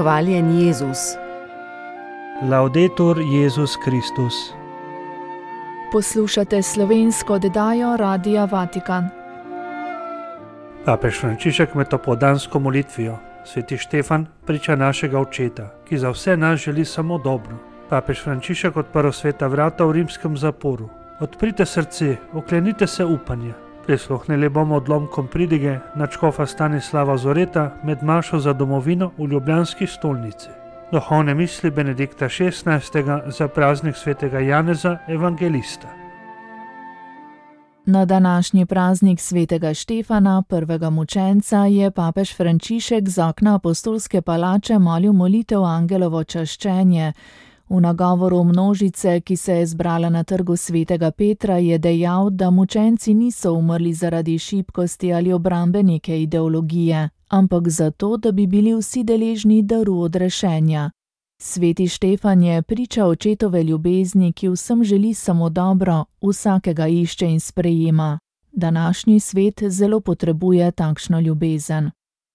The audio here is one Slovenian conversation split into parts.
Hvaljen Jezus. Laudetur Jezus Kristus. Poslušate slovensko oddajo Radia Vatikan. Papež Frančišek med popoldansko molitvijo. Sveti Štefan, priča našega očeta, ki za vse nas želi samo dobro. Papež Frančišek odprl sveta vrata v rimskem zaporu. Odprite srce, oklenite se upanja. Prisluhnili bomo odlomkom pridige nadškofa Stanislava Zoreta med mašo za domovino v ljubljanski stolnici. Duhovne misli Benedikta XVI za praznik svetega Janeza Evangelista. Na današnji praznik svetega Štefana, prvega mučenca, je papež Frančišek z okna apostolske palače molil molitev Angelovo čaščenje. V nagovoru množice, ki se je zbrala na trgu svetega Petra, je dejal, da mučenci niso umrli zaradi šibkosti ali obrambe neke ideologije, ampak zato, da bi bili vsi deležni daru odrešenja. Sveti Štefan je priča očetove ljubezni, ki vsem želi samo dobro, vsakega išče in sprejema. Današnji svet zelo potrebuje takšno ljubezen.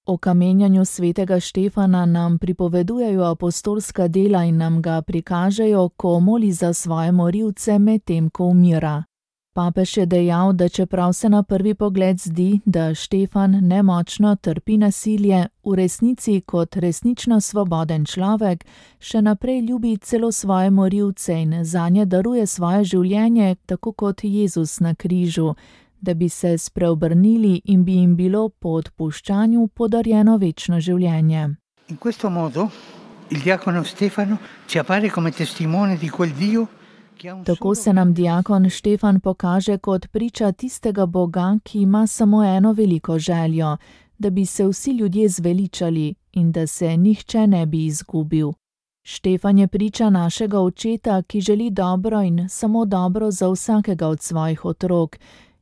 O kamenjanju svetega Štefana nam pripovedujejo apostolska dela in nam ga prikažejo, ko moli za svoje morilce medtem, ko umira. Papež je dejal, da čeprav se na prvi pogled zdi, da Štefan nemočno trpi nasilje, v resnici kot resnično svoboden človek še naprej ljubi celo svoje morilce in zanje daruje svoje življenje, tako kot Jezus na križu, da bi se spreobrnili in bi jim bilo po odpuščanju podarjeno večno življenje. In questo modo il diacono Stefano ci appare come testimone di quel Dio. Tako se nam diakon Štefan pokaže kot priča tistega Boga, ki ima samo eno veliko željo, da bi se vsi ljudje zveličali in da se nihče ne bi izgubil. Štefan je priča našega očeta, ki želi dobro in samo dobro za vsakega od svojih otrok,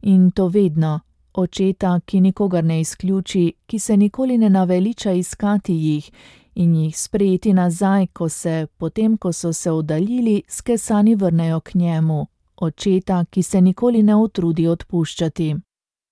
in to vedno. Očeta, ki nikogar ne izključi, ki se nikoli ne naveliča iskati jih in jih sprejeti nazaj, ko se, potem ko so se oddaljili, skesani vrnejo k njemu. Očeta, ki se nikoli ne utrudi odpuščati.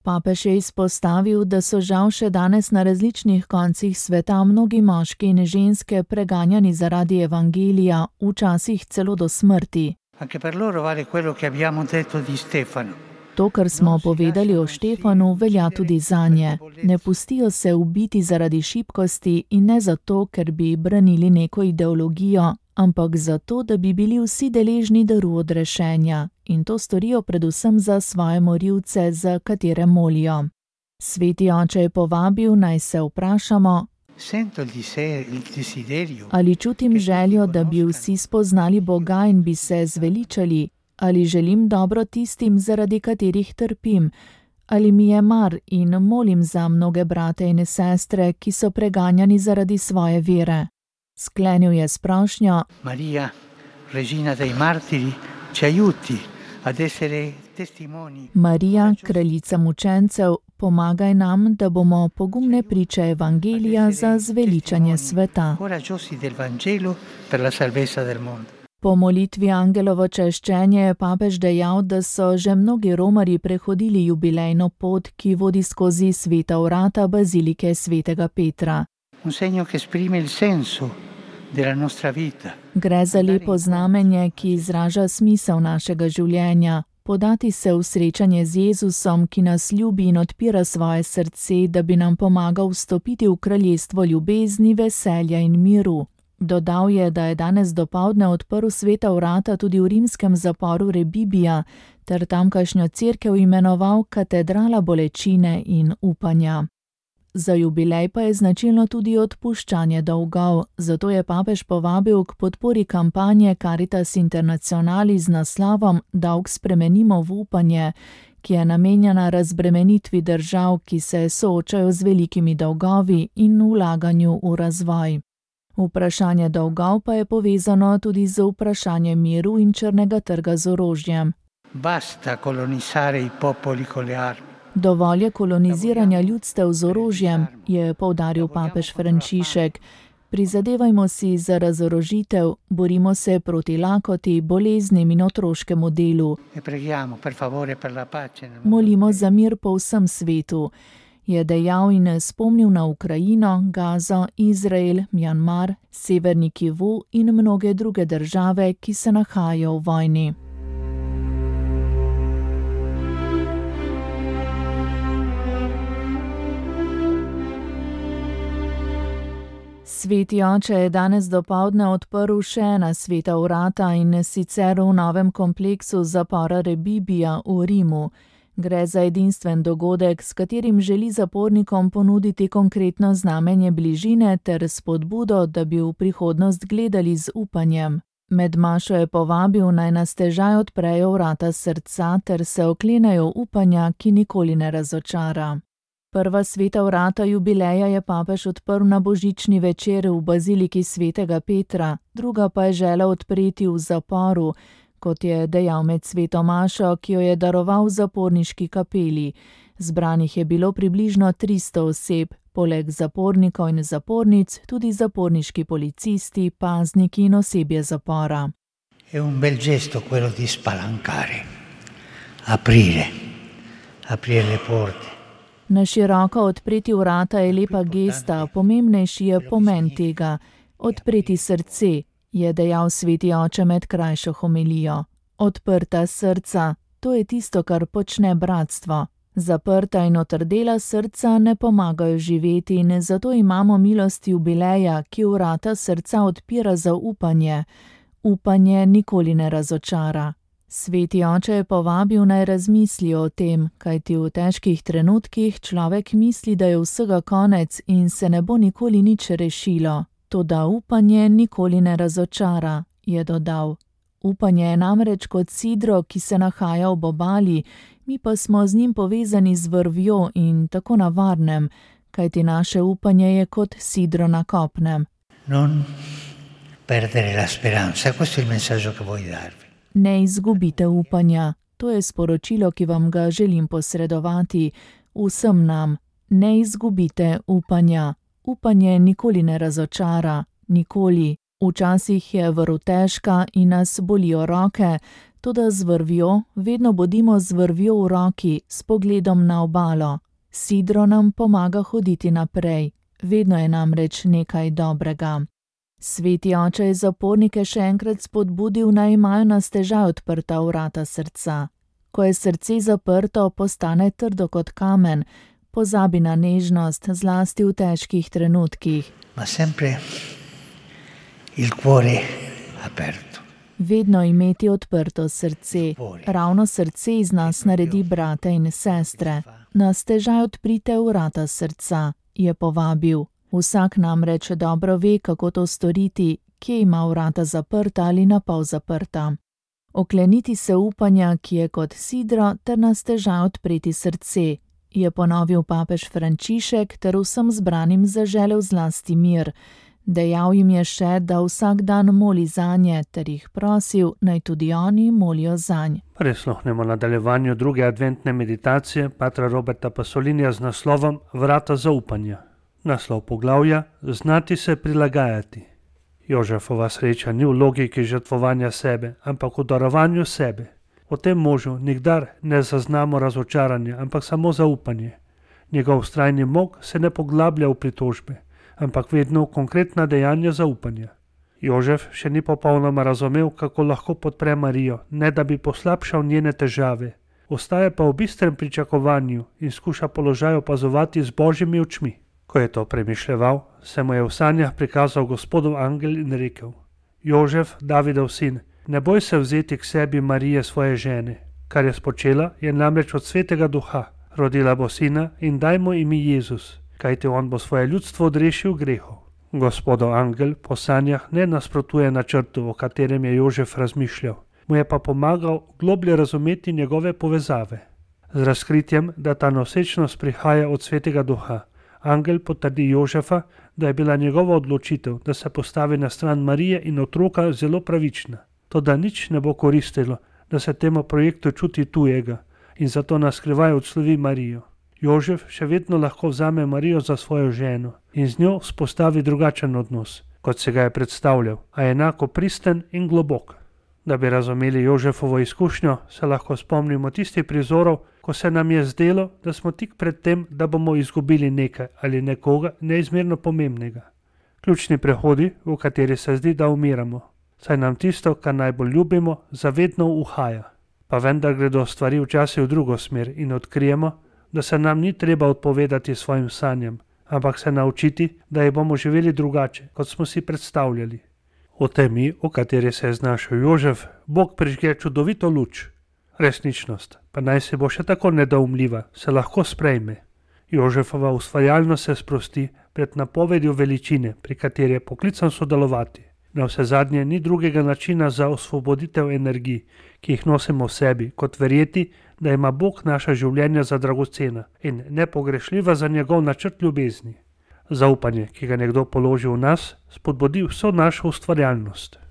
Papež je izpostavil, da so žal še danes na različnih koncih sveta mnogi moški in ženske preganjani zaradi evangelija, včasih celo do smrti. Anche per loro vale quello che abbiamo detto di Stefano. To, kar smo povedali o Štefanu, velja tudi zanje. Ne pustijo se ubiti zaradi šibkosti in ne zato, ker bi branili neko ideologijo, ampak zato, da bi bili vsi deležni daru odrešenja, in to storijo predvsem za svoje morilce, za katere molijo. Sveti oče je povabil, naj se vprašamo, ali čutim željo, da bi vsi spoznali Boga in bi se zveličali, ali želim dobro tistim, zaradi katerih trpim, ali mi je mar in molim za mnoge brate in sestre, ki so preganjani zaradi svoje vere. Sklenil je s prošnjo: Maria, regina dei martiri, ci aiuti ad essere testimoni. Marija, kraljica mučencev, pomagaj nam, da bomo pogumne priče evangelija za zveličanje sveta. Coraggiosi del Vangelo per la salvezza del mondo. Po molitvi Angelovo čaščenje je papež dejal, da so že mnogi romarji prehodili jubilejno pot, ki vodi skozi sveta vrata bazilike svetega Petra. Un segno che esprime il senso della nostra vita. Gre za lepo znamenje, ki izraža smisel našega življenja. Podati se v srečanje z Jezusom, ki nas ljubi in odpira svoje srce, da bi nam pomagal vstopiti v kraljestvo ljubezni, veselja in miru. Dodal je, da je danes dopoldne odprl sveta vrata tudi v rimskem zaporu Rebibija ter tamkajšnjo cerkev imenoval katedrala bolečine in upanja. Za jubilej pa je značilno tudi odpuščanje dolgov, zato je papež povabil k podpori kampanje Caritas Internationali z naslovom Dolg spremenimo v upanje, ki je namenjena razbremenitvi držav, ki se soočajo z velikimi dolgovi in vlaganju v razvoj. Vprašanje dolgov pa je povezano tudi z vprašanjem miru in črnega trga z orožjem. Basta colonizzare i popoli con le armi. Dovolj je koloniziranja ljudstev z orožjem, je poudaril papež Frančišek. Prizadevajmo si za razorožitev, borimo se proti lakoti, boleznim in otroškemu delu. Molimo za mir po vsem svetu. je dejal in spomnil na Ukrajino, Gazo, Izrael, Mjanmar, Severni Kivu in mnoge druge države, ki se nahajajo v vojni. Sveti oče je danes dopoldne odprl še ena sveta vrata in sicer v novem kompleksu zapora Rebibbia v Rimu. Gre za edinstven dogodek, s katerim želi zapornikom ponuditi konkretno znamenje bližine ter spodbudo, da bi v prihodnost gledali z upanjem. Med mašo je povabil, naj na stežaj odprejo vrata srca ter se oklenejo upanja, ki nikoli ne razočara. Prva sveta vrata jubileja je papež odprl na božični večer v baziliki svetega Petra, druga pa je želel odpreti v zaporu, kot je dejal med sveto mašo, ki jo je daroval v zaporniški kapeli. Zbranih je bilo približno 300 oseb, poleg zapornikov in zapornic tudi zaporniški policisti, pazniki in osebje zapora. È un bel gesto quello di spalancare, aprire le porte. Na široko odpreti vrata je lepa gesta, pomembnejši je pomen tega. Odpreti srce, je dejal sveti oče med krajšo homilijo. Odprta srca, to je tisto, kar počne bratstvo. Zaprta in otrdela srca ne pomagajo živeti in zato imamo milost jubileja, ki vrata srca odpira za upanje. Upanje nikoli ne razočara. Sveti oče je povabil, naj razmislijo o tem, kajti v težkih trenutkih človek misli, da je vsega konec in se ne bo nikoli nič rešilo. Toda upanje nikoli ne razočara, je dodal. Upanje je namreč kot sidro, ki se nahaja ob obali, mi pa smo z njim povezani z vrvjo in tako na varnem, kajti naše upanje je kot sidro na kopnem. Non perdere la speranza, questo è il messaggio che voglio darvi. Ne izgubite upanja, to je sporočilo, ki vam ga želim posredovati vsem nam. Ne izgubite upanja. Upanje nikoli ne razočara, nikoli. Včasih je vrv težka in nas bolijo roke, toda z vrvjo, vedno bodimo z vrvjo v roki, s pogledom na obalo. Sidro nam pomaga hoditi naprej, vedno je namreč nekaj dobrega. Sveti oče je zapornike še enkrat spodbudil, naj imajo na stežaj odprta vrata srca. Ko je srce zaprto, postane trdo kot kamen, pozabi na nežnost, zlasti v težkih trenutkih. Ma sempre il cuore aperto. Vedno imeti odprto srce. Ravno srce iz nas naredi brate in sestre. Na stežaj odprite vrata srca, je povabil. Vsak namreč dobro ve, kako to storiti, kje ima vrata zaprta ali na pol zaprta. Okleniti se upanja, ki je kot sidro, ter na stežaj odpreti srce, je ponovil papež Frančišek ter vsem zbranim zaželel zlasti mir. Dejal jim je še, da vsak dan moli zanje, ter jih prosil, naj tudi oni molijo zanj. Prisluhnemo nadaljevanju druge adventne meditacije patra Roberta Pasolinija z naslovom Vrata zaupanja. Naslov poglavja: Znati se prilagajati. Jožefova sreča ni v logiki žrtvovanja sebe, ampak v darovanju sebe. V tem možu nikdar ne zaznamo razočaranja, ampak samo zaupanje. Njegov vztrajni mok se ne poglablja v pritožbe, ampak vedno v konkretna dejanja zaupanja. Jožef še ni popolnoma razumel, kako lahko podpre Marijo, ne da bi poslabšal njene težave. Ostaja pa v bistrem pričakovanju in skuša položaj opazovati z božjimi očmi. Ko je to premišljeval, se mu je v sanjah prikazal Gospodov angel in rekel: Jožef, Davidov sin, ne boj se vzeti k sebi Marije svoje žene. Kar je spočela, je namreč od svetega duha. Rodila bo sina in daj mu ime Jezus, kajti on bo svoje ljudstvo odrešil grehov. Gospodov angel po sanjah ne nasprotuje načrtu, o katerem je Jožef razmišljal, mu je pa pomagal globlje razumeti njegove povezave. Z razkritjem, da ta nosečnost prihaja od svetega duha, angel potrdi Jožefa, da je bila njegova odločitev, da se postavi na stran Marije in otroka, zelo pravična. Toda nič ne bo koristilo, da se temu projektu čuti tujega in zato na skrivaj odslovi Marijo. Jožef še vedno lahko vzame Marijo za svojo ženo in z njo spostavi drugačen odnos, kot se ga je predstavljal, a enako pristen in globok. Da bi razumeli Jožefovo izkušnjo, se lahko spomnimo tistih prizorov, ko se nam je zdelo, da smo tik pred tem, da bomo izgubili nekaj ali nekoga neizmerno pomembnega. Ključni prehodi, v kateri se zdi, da umiramo, saj nam tisto, kar najbolj ljubimo, zavedno uhaja. Pa vendar gredo stvari včasih v drugo smer in odkrijemo, da se nam ni treba odpovedati svojim sanjam, ampak se naučiti, da jih bomo živeli drugače, kot smo si predstavljali. V temi, v kateri se je znašel Jožef, Bog prižge čudovito luč. Resničnost, pa naj se bo še tako nedoumljiva, se lahko sprejme. Jožefova ustvarjalnost se sprosti pred napovedjo veličine, pri kateri je poklican sodelovati. Na vse zadnje ni drugega načina za osvoboditev energij, ki jih nosimo v sebi, kot verjeti, da ima Bog naša življenja za dragocena in nepogrešljiva za njegov načrt ljubezni. Zaupanje, ki ga nekdo položi v nas, spodbudi vso našo ustvarjalnost.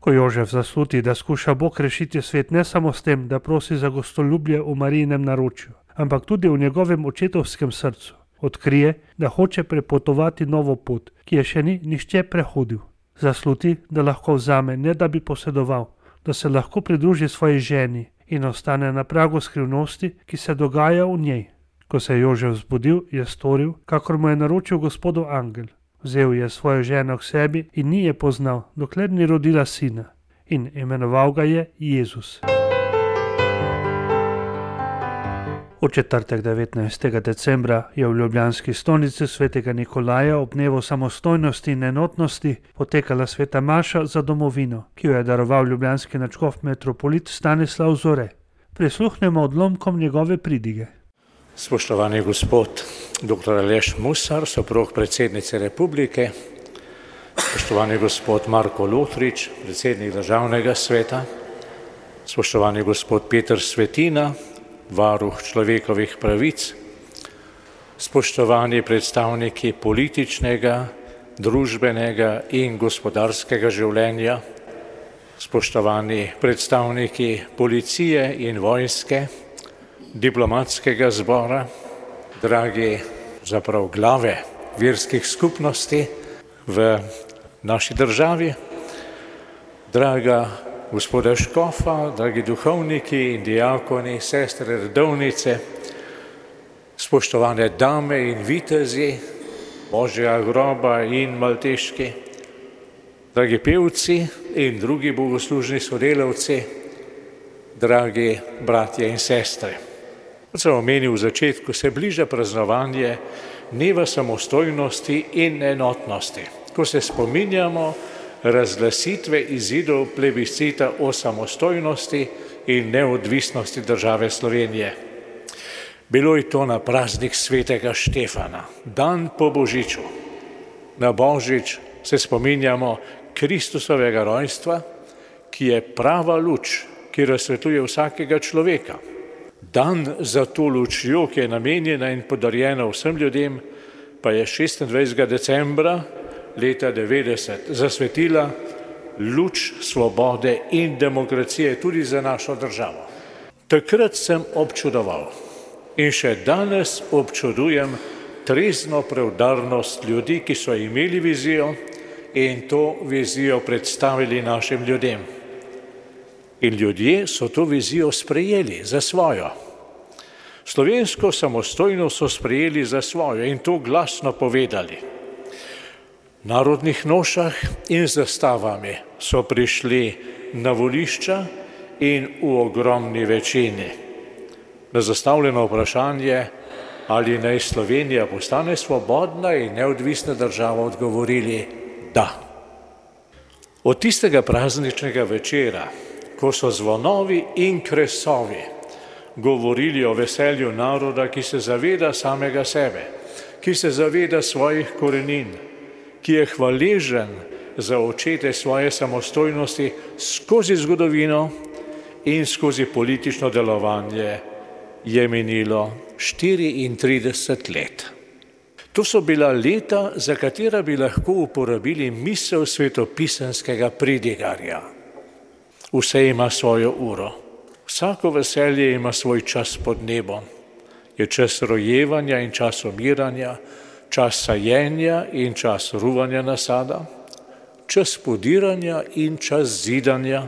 Ko Jožef zasluti, da skuša Bog rešiti svet ne samo s tem, da prosi za gostoljubje v Marijinem naročju, ampak tudi v njegovem očetovskem srcu, odkrije, da hoče prepotovati novo pot, ki je še ni nihče prehodil. Zasluti, da lahko vzame, ne da bi posedoval, da se lahko pridruži svoji ženi in ostane na pragu skrivnosti, ki se dogaja v njej. Ko se je Jožef zbudil, je storil, kakor mu je naročil Gospodov angel. Vzel je svojo ženo k sebi in ni je poznal, dokler ni rodila sina, in imenoval ga je Jezus. V četrtek 19. decembra je v ljubljanski stolnici svetega Nikolaja ob dnevu samostojnosti in enotnosti potekala sveta maša za domovino, ki jo je daroval ljubljanski nadškof metropolit Stanislav Zore. Prisluhnemo odlomkom njegove pridige. Spoštovani gospod dr. Aleš Musar, soprog predsednice republike, spoštovani gospod Marko Lotrič, predsednik državnega sveta, spoštovani gospod Peter Svetina, varuh človekovih pravic, spoštovani predstavniki političnega, družbenega in gospodarskega življenja, spoštovani predstavniki policije in vojske, diplomatskega zbora, dragi zaprav glave verskih skupnosti v naši državi, draga gospoda škofa, dragi duhovniki in diakoni, sestre redovnice, spoštovane dame in vitezi Božjega groba in malteški, dragi pevci in drugi bogoslužni sodelavci, dragi bratje in sestre. Kot sem omenil v začetku, se bliža praznovanje dneva samostojnosti in enotnosti, ko se spominjamo razglasitve izidov plebiscita o samostojnosti in neodvisnosti države Slovenije. Bilo je to na praznik svetega Štefana, dan po Božiču. Na Božič se spominjamo Kristusovega rojstva, ki je prava luč, ki razsvetljuje vsakega človeka. Dan za to lučjo, ki je namenjena in podarjena vsem ljudem, pa je 26. decembra leta 90 zasvetila luč svobode in demokracije tudi za našo državo. Takrat sem občudoval in še danes občudujem trezno preudarnost ljudi, ki so imeli vizijo in to vizijo predstavili našim ljudem. In ljudje so to vizijo sprejeli za svojo. Slovensko samostojnost so sprejeli za svojo in to glasno povedali. V narodnih nošah in zastavami so prišli na volišča in v ogromni večini. Na zastavljeno vprašanje, ali naj Slovenija postane svobodna in neodvisna država, odgovorili da. Od tistega prazničnega večera, ko so zvonovi in kresovi govorili o veselju naroda, ki se zaveda samega sebe, ki se zaveda svojih korenin, ki je hvaležen za očete svoje samostojnosti skozi zgodovino in skozi politično delovanje, je minilo 34 let. To so bila leta, za katera bi lahko uporabili misel svetopisemskega pridigarja. Vse ima svojo uro. Vsako veselje ima svoj čas pod nebom. Je čas rojevanja in čas umiranja, čas sajenja in čas ruvanja nasada, čas podiranja in čas zidanja,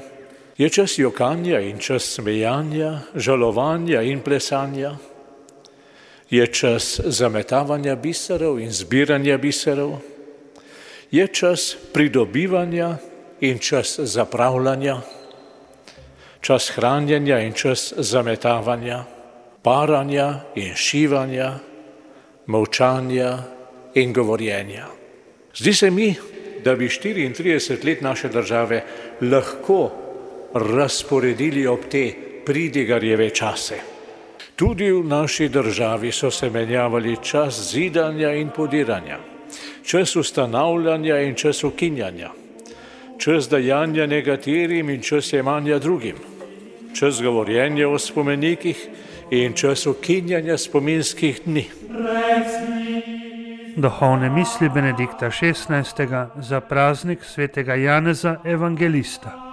Je čas jokanja in čas smejanja, žalovanja in plesanja. Je čas zametavanja biserov in zbiranja biserov. Je čas pridobivanja in čas zapravljanja. Čas hranjenja in čas zametavanja, paranja in šivanja, molčanja in govorjenja. Zdi se mi, da bi 34 let naše države lahko razporedili ob te pridigarjeve čase. Tudi v naši državi so se menjavali čas zidanja in podiranja, čas ustanavljanja in čas ukinjanja, čas dajanja nekaterim in čas jemanja drugim, čas govorjenja o spomenikih in čas ukinjanja spominskih dni. Duhovne misli Benedikta XVI. Za praznik svetega Janeza Evangelista.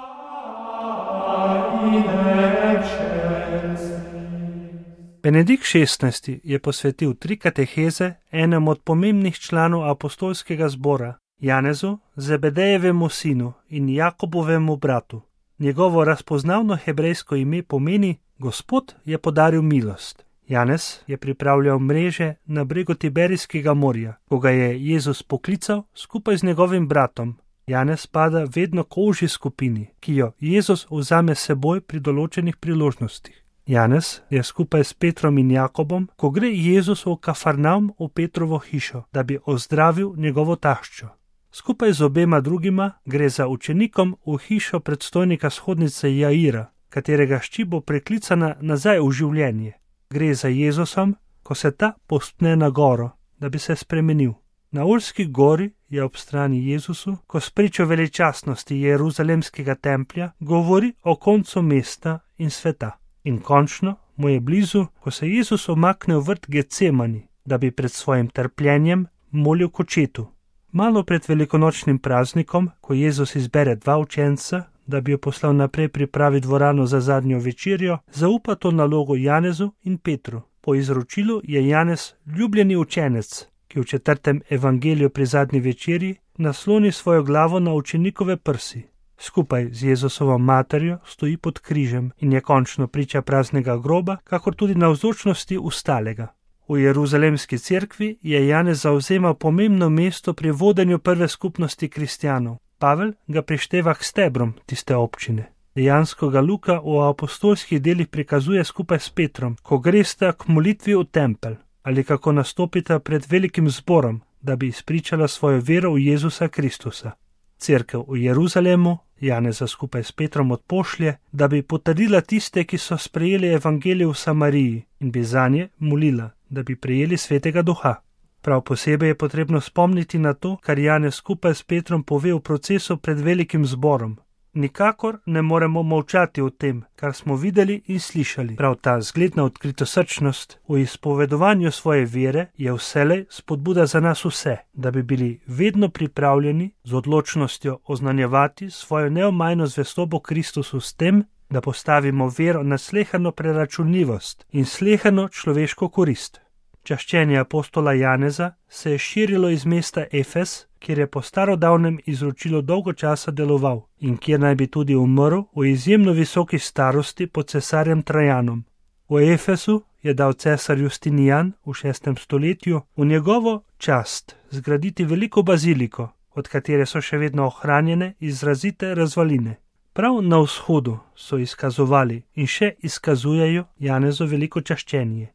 Benedikt XVI. Je posvetil 3 kateheze enemu od pomembnih članov apostolskega zbora, Janezu, Zebedejevemu sinu in Jakobovemu bratu. Njegovo razpoznavno hebrejsko ime pomeni Gospod je podaril milost. Janez je pripravljal mreže na bregu Tiberijskega morja, ko ga je Jezus poklical skupaj z njegovim bratom. Janez spada vedno k ožji skupini, ki jo Jezus vzame seboj pri določenih priložnostih. Janez je skupaj s Petrom in Jakobom, ko gre Jezus v Kafarnaum v Petrovo hišo, da bi ozdravil njegovo taščo. Skupaj z obema drugima gre za učenikom v hišo predstojnika shodnice Jaira, katerega hči bo preklicana nazaj v življenje. Gre za Jezusom, ko se ta povzpne na goro, da bi se spremenil. Na Olski gori je ob strani Jezusu, ko spričo veličastnosti Jeruzalemskega templja govori o koncu mesta in sveta. In končno mu je blizu, ko se Jezus omakne v vrt Getsemani, da bi pred svojim trpljenjem molil k očetu. Malo pred velikonočnim praznikom, ko Jezus izbere 2 učenca, da bi jo poslal naprej pripraviti dvorano za zadnjo večerjo, zaupa to nalogo Janezu in Petru. Po izročilu je Janez ljubljeni učenec, ki v 4. evangeliju pri zadnji večerji nasloni svojo glavo na učenikove prsi. Skupaj z Jezusovo materjo stoji pod križem in je končno priča praznega groba, kakor tudi navzočnosti ustalega. V Jeruzalemski cerkvi je Janez zavzemal pomembno mesto pri vodenju prve skupnosti kristjanov. Pavel ga prišteva k stebrom tiste občine. Dejansko ga Luka v apostolskih delih prikazuje skupaj s Petrom, ko gresta k molitvi v tempelj ali kako nastopita pred velikim zborom, da bi izpričala svojo vero v Jezusa Kristusa. Cerkev v Jeruzalemu Janeza skupaj s Petrom odpošlje, da bi potrdila tiste, ki so sprejeli evangelij v Samariji in bi zanje molila, da bi prejeli svetega duha. Prav posebej je potrebno spomniti na to, kar Janez skupaj s Petrom pove v procesu pred velikim zborom. Nikakor ne moremo molčati o tem, kar smo videli in slišali. Prav ta zgledna odkritosrčnost v izpovedovanju svoje vere je vselej spodbuda za nas vse, da bi bili vedno pripravljeni z odločnostjo oznanjevati svojo neomajno zvestobo Kristusu s tem, da postavimo vero na slehano preračunljivost in slehano človeško korist. Čaščenje apostola Janeza se je širilo iz mesta Efes, kjer je po starodavnem izročilu dolgo časa deloval in kjer naj bi tudi umrl v izjemno visoki starosti pod cesarjem Trajanom. V Efesu je dal cesar Justinijan v 6. stoletju v njegovo čast zgraditi veliko baziliko, od katere so še vedno ohranjene izrazite razvaline. Prav na vzhodu so izkazovali in še izkazujejo Janezo veliko čaščenje.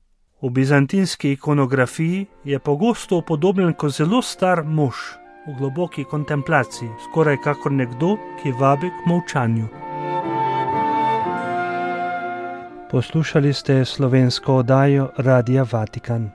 V bizantinski ikonografiji je pogosto upodobljen kot zelo star mož v globoki kontemplaciji, skoraj kakor nekdo, ki vabi k molčanju. Poslušali ste slovensko oddajo Radia Vatikan.